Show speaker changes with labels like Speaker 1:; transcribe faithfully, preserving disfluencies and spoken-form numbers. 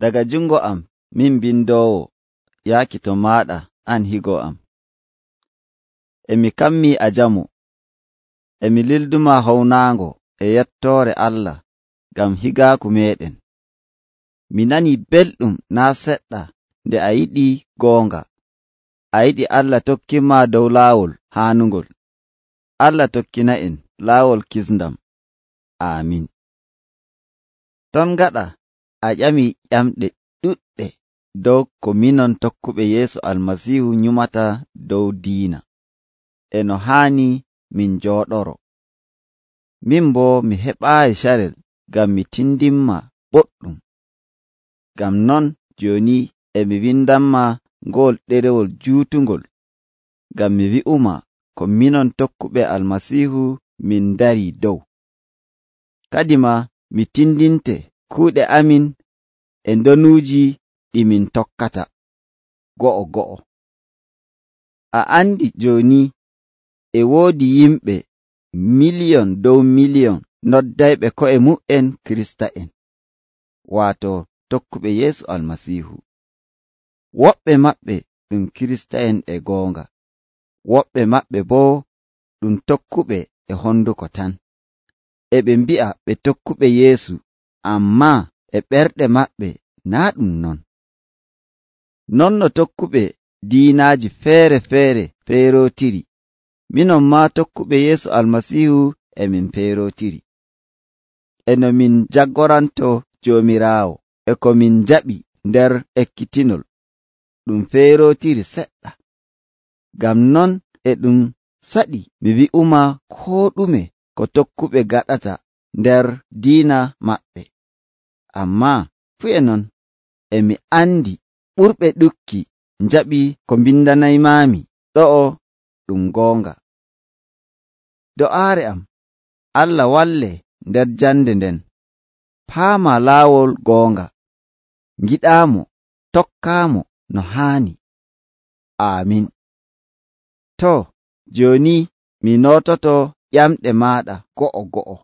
Speaker 1: Daga jungo am min bindoowo yaaki to maaɗa an higo am. E mi kammii a jamu, e mi lilduma hownaango e yettoore Allah ngam higaaku meeɗen. Mi nanii belɗum naa seɗɗa nde a yiɗi goonga. A yiɗi Allah tokkinma dow laawol haanungol. Allah tokkina'en laawol kisndam. Aamin. Ton gaɗa a ƴamii ƴamɗe ɗuɗɗe dow ko minon tokkuɓe Yeesu Almasiihu nyumata dow diina, e no haani min njooɗoro. Min boo mi heɓaayi carel ngam mi tindinma boɗɗum. Ngam non jooni e mi windanma ngol ɗerewol juutungol, ngam mi wi'uma ko minon tokkuɓe Almasiihu min ndarii dow. Kadima mi tindinte kuuɗe amin e ndonuuji ɗi min tokkata, go'o go'o. A andi jooni e woodi yimɓe miliyon dow miliyon noddayɓe ko'e mu'en Kirista'en, waato tokkuɓe Yeesu Almasiihu. Woɓɓe maɓɓe ɗum Kirista'en e goonga, woɓɓe maɓɓe boo ɗum tokkuɓe e honduko tan. E ɓe mbi'a ɓe tokkuɓe Yeesu, ammaa e ɓerɗe maɓɓe naa ɗum non. Non no tokkuɓe diinaaji feere-feere feerootiri, minon maa tokkuɓe Yeesu Almasiihu e min feerootiri. E no min jaggoranto Joomiraawo e ko min jaɓi nder ekkitinol, ɗum feerootiri seɗɗa. Ngam non e ɗum saɗi mi wi'uma koo ɗume ko tokkuɓe gaɗata nder diina maɓɓe. Ammaa fuu e non e mi andi ɓurɓe ɗukki njaɓi ko mbindanaymaami ɗo'o ɗum goonga. Do'aare am, Allah walle nder jande nden. Paama laawol goonga. Ngiɗaamo, tokkaamo no haani. Aamin. To, jooni mi noototo ƴamɗe maaɗa go'o go'o.